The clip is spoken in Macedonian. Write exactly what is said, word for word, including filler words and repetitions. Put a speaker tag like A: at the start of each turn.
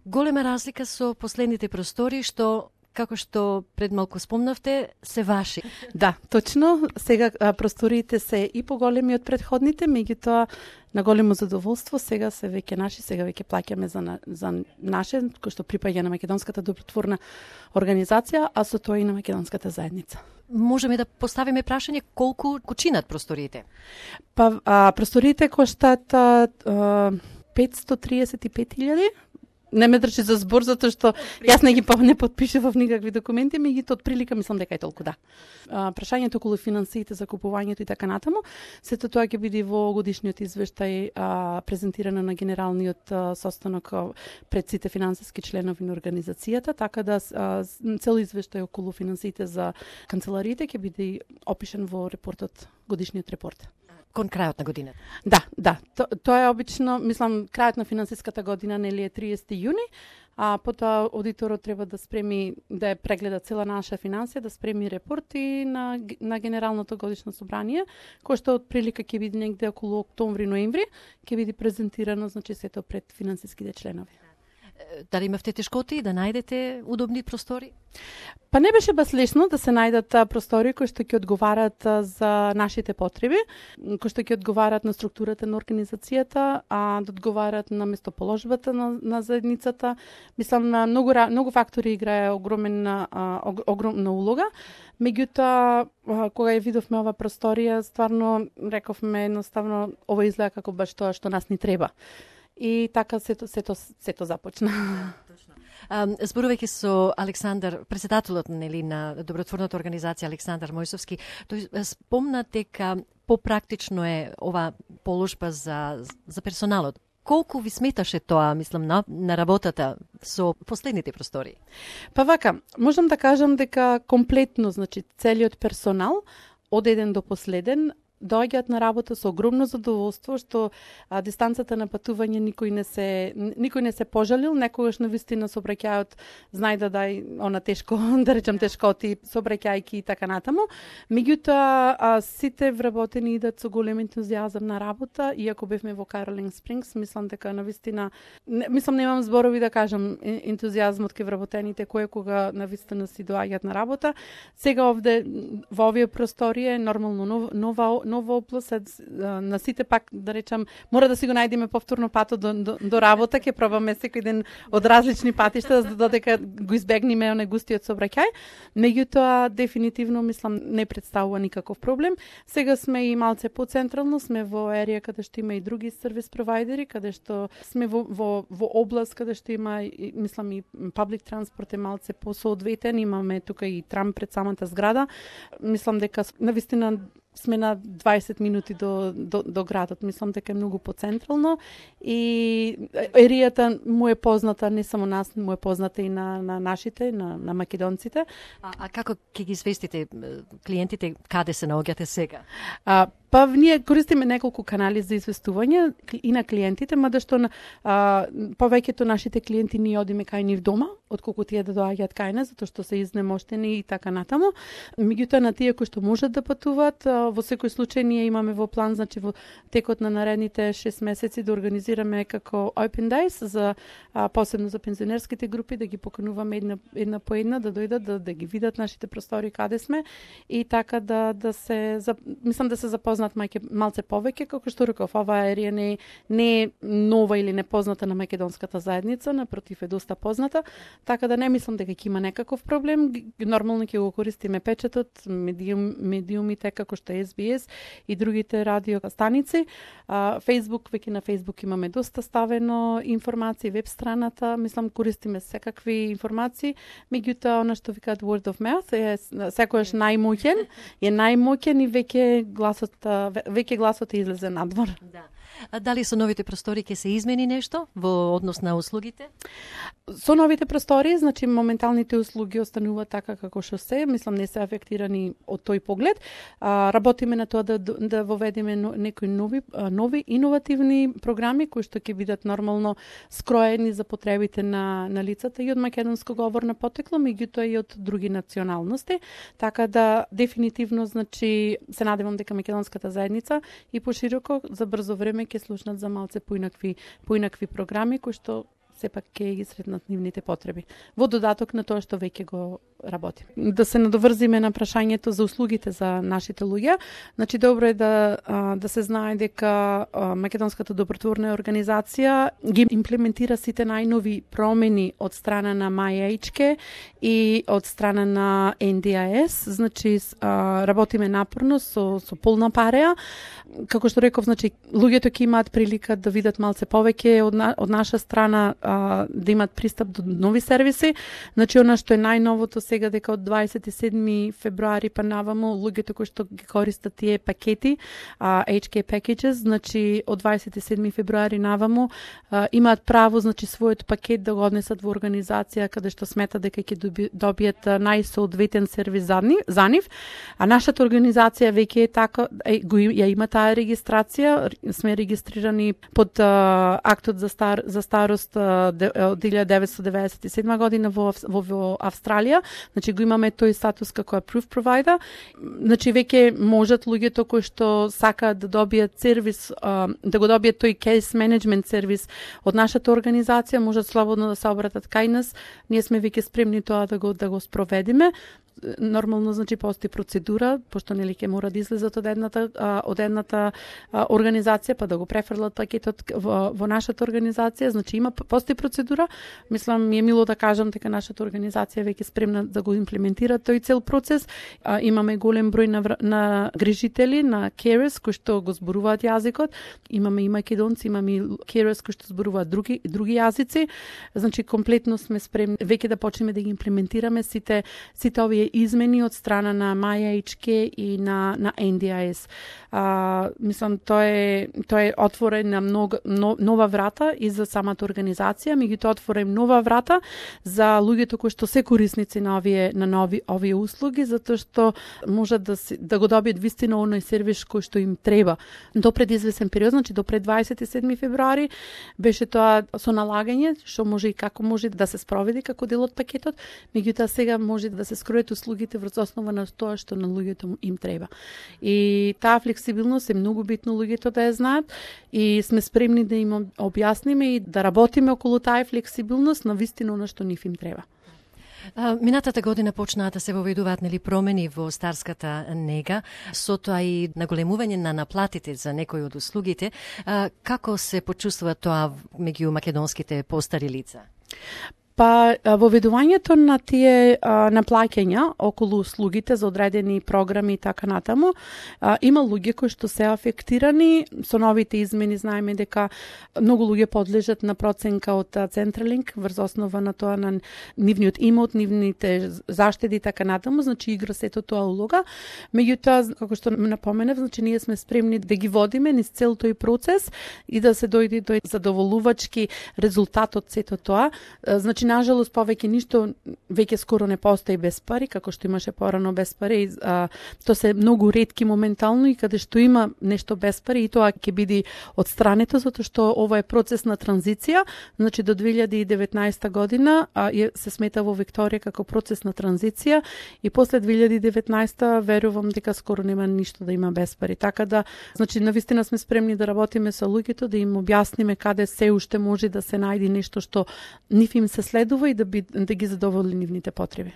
A: Голема разлика со последните простори што како што пред малку спомнавте, се ваши.
B: Да, точно. Сега а, просториите се и поголеми од предходните, меѓутоа на големо задоволство, сега се веќе наши, сега веќе плаќаме за, на, за наше, кој што припаѓа на Македонската добротворна организација, а со тоа и на Македонската заедница.
A: Можеме да поставиме прашање колку кучинат просториите?
B: Па, а, просториите коштат а, а, петстотини триесет и пет илјади. Не ме држи за збор, затоа што јас не ги не подпишував никакви документи, меѓутоа од прилика мислам дека е толку, да. А, прашањето околу финансиите за купувањето и така натаму, сето тоа ќе биде во годишниот извештај а, презентирано на генералниот а, состанок а, пред сите финансиски членови на организацијата, така да а, цел извештај околу финансиите за канцелариите ќе биде опишан во репортот, годишниот репорт.
A: Кон крајот на годината?
B: Да, да. То, тоа е обично, мислам, крајот на финансиската година нели е триесети јуни, а потоа аудиторот треба да спреми, да ја прегледа цела наша финансија, да спреми репорти на, на Генералното годишно собрание, кој што од прилика ќе биде негде околу октомври-ноември, ќе биде презентирано, значи сето пред финансиските членови.
A: Дали имавте тешкоти да најдете удобни простори?
B: Па не беше баш лесно да се најдат простори кои што ќе одговарат за нашите потреби, кои што ќе одговарат на структурата на организацијата, а да одговарат на местоположбата на, на заедницата. Мислам, многу многу фактори играе огромна огромна улога. Меѓутоа, кога ја видовме ова просторија, стварно рековме едноставно ова изгледа како баш тоа што нас ни треба. И така сето сето сето започна.
A: Точно. Зборувајќи со Александар, председателот нели на добротворната организација Александар Мојсовски, тој спомна дека попрактично е ова положба за за персоналот. Колку ви сметаше тоа, мислам, на, на работата со последните простори?
B: Па вака, можам да кажам дека комплетно, значи целиот персонал од еден до последен доаѓаат на работа со огромно задоволство, што а, дистанцата на патување никој не се никој не се пожалил, некогаш навистина сообраќајот знајде да дај она тешко, да речам тешкоти, сообраќајки и така натаму. Меѓутоа сите вработени идат со голем ентузијазам на работа, иако бевме во Каролин Спрингс, мислам дека навистина не, мислам немам зборови да кажам ентузијазмот кај вработените кој кога навистина си доаѓаат на работа. Сега овде во овие просторија е нормално нов, нова нова област, на сите пак, да речам, мора да си го најдеме повторно патот до, до, до работа, ќе пробаме секој ден од различни патишта, за додека го избегнеме онај густиот сообраќај. Меѓутоа, дефинитивно, мислам, не представува никаков проблем. Сега сме и малце поцентрално, сме во ерија каде што има и други сервис провайдери, каде што сме во, во, во област каде што има, мислам, и паблик транспорт е малце посоодветен, имаме тука и трам пред самата зграда. Мислам дека навистина сме на дваесет минути до, до, до градот. Мислам дека е многу поцентрално и еријата му е позната, не само нас, му е позната и на, на нашите, на, на македонците.
A: А, а како ќе ги известите клиентите каде се наоѓате сега?
B: А, па ние користиме неколку канали за известување и на клиентите, мада што на а, повеќето нашите клиенти ние одиме кај нив дома, отколку тие да доаѓаат кај нас, затоа што се изнемоштени и така натаму. Меѓутоа на тие кои што можат да патуваат, во секој случај ние имаме во план, значи во текот на наредните шест месеци да организираме како Open Days за а, посебно за пензионерските групи, да ги покануваме една една по една да дојдат да, да ги видат нашите простори каде сме и така да да се за, мислам да се запознаат мајке малце повеќе, како што реков, оваа ерија не не е нова или непозната на македонската заедница, напротив е доста позната, така да не мислам дека ќе има некаков проблем. Нормално ќе го користиме печатот, медиум, медиумите како што Ес Би Ес и другите радио станици. Фейсбук, веќе на Фейсбук имаме доста ставено информации, веб страната, мислам користиме секакви информации, меѓутоа она што викаат word of mouth е секојаш најмоќен, е најмоќен и веќе гласот веќе гласот излезе надвор.
A: Да. А дали со новите простори ќе се измени нешто во однос на услугите?
B: Со новите простори, значи моменталните услуги остануваат така како што се, мислам не се афектирани од тој поглед. А, работиме на тоа да да воведеме некои нови нови иновативни програми кои што ќе бидат нормално скроени за потребите на на лицата и од македонско говорно потекло, меѓутоа и од други националности, така да дефинитивно значи се надевам дека македонската заедница и пошироко за брзо време ќе слушнат за малце поинакви поинакви програми кои што сепак ќе ги сретнат нивните потреби. Во додаток на тоа што веќе го работи. Да се надоврзиме на прашањето за услугите за нашите луѓе. Значи добро е да да се знае дека Македонската добротворна организација ги имплементира сите најнови промени од страна на MyHK и од страна на Ен Ди Ес. Значи работиме напорно со со полна пареа. Како што реков, значи луѓето ќе имаат прилика да видат малце повеќе од, на, од наша страна, а, да имат пристап до нови сервиси. Значи она што е најновото сега дека од дваесет и седми февруари па наваму луѓето кои што ги користат тие пакети, а, Ейч Кей packages, значи од дваесет и седми февруари наваму а, имаат право, значи својот пакет да го однесат во организација каде што смета дека ќе доби, добијат најсоодветен сервис за нив, за нив. А нашата организација веќе е така, е, го, ја има таа регистрација, сме регистрирани под а, актот за стар за старост а, де, од илјада деветстотини деветдесет и седма година во во, во Австралија. Значи го имаме тој статус како approved provider. Значи веќе можат луѓето кои што сакаат да добијат сервис, а, да го добијат тој case management сервис од нашата организација, можат слободно да се обратат кај нас. Ние сме веќе спремни тоа да го да го спроведиме. Нормално, значи постои процедура, пошто нели ќе мора да излезат од едната а, од едната а, организација па да го префрлат пакетот во, во нашата организација. Значи има постои процедура. Мислам ми е мило да кажам дека нашата организација веќе спремна да го имплементира тој цел процес. А, имаме голем број на, на грижители, на carers кои што го зборуваат јазикот. Имаме и македонци, имаме и carers кои што зборуваат други други јазици. Значи комплетно сме спремни веќе да почнеме да ги имплементираме сите сите овие измени од страна на MyHK и на на Ен Ди Ес. А, мислам тоа е тоа е отворен на многу но, нова врата и за самата организација, меѓутоа отворен нова врата за луѓето кои што се корисници на овие на нови овие услуги, затоа што можат да си, да го добијат вистина оној сервис кој што им треба. До пред извесен период, значи до пред дваесет и седми февруари беше тоа со налагање што може и како може да се спроведи како дел од пакетот, меѓутоа сега може да се скројат услугите врз основа на тоа што на луѓето им треба. И таа флексибилност е многу битно луѓето да ја знаат и сме спремни да им објасниме и да работиме околу таа флексибилност на вистина на што нив им треба.
A: Минатата година почнаа да се воведуваат нели промени во старската нега, со тоа и наголемување на наплатите за некои од услугите. Како се почувствува тоа меѓу македонските постари лица?
B: Па воведувањето на тие а, наплаќања околу услугите за одредени програми и така натаму, а, има луѓе кои што се афектирани со новите измени. Знаеме дека многу луѓе подлежат на проценка од Централинк врз основа на тоа на нивниот имот, нивните заштеди и така натаму, значи игра сето тоа улога. Меѓутоа, како што напоменав, значи ние сме спремни да ги водиме низ цел тој процес и да се дојде до задоволувачки резултат од сето тоа. Значи нажалост, повеќе ништо веќе скоро не постои без пари, како што имаше порано без пари. А, то се многу ретки моментално и каде што има нешто без пари, и тоа ќе биде отстрането, затоа што ова е процес на транзиција. Значи до две илјади и деветнаесета година а, е, се смета во Викторија како процес на транзиција и после две илјади и деветнаесета верувам дека скоро нема ништо да има без пари. Така да, значи навистина сме спремни да работиме со луѓето, да им објасниме каде се уште може да се најде нешто што нив им се следува и да, би, да ги задоволи нивните потреби.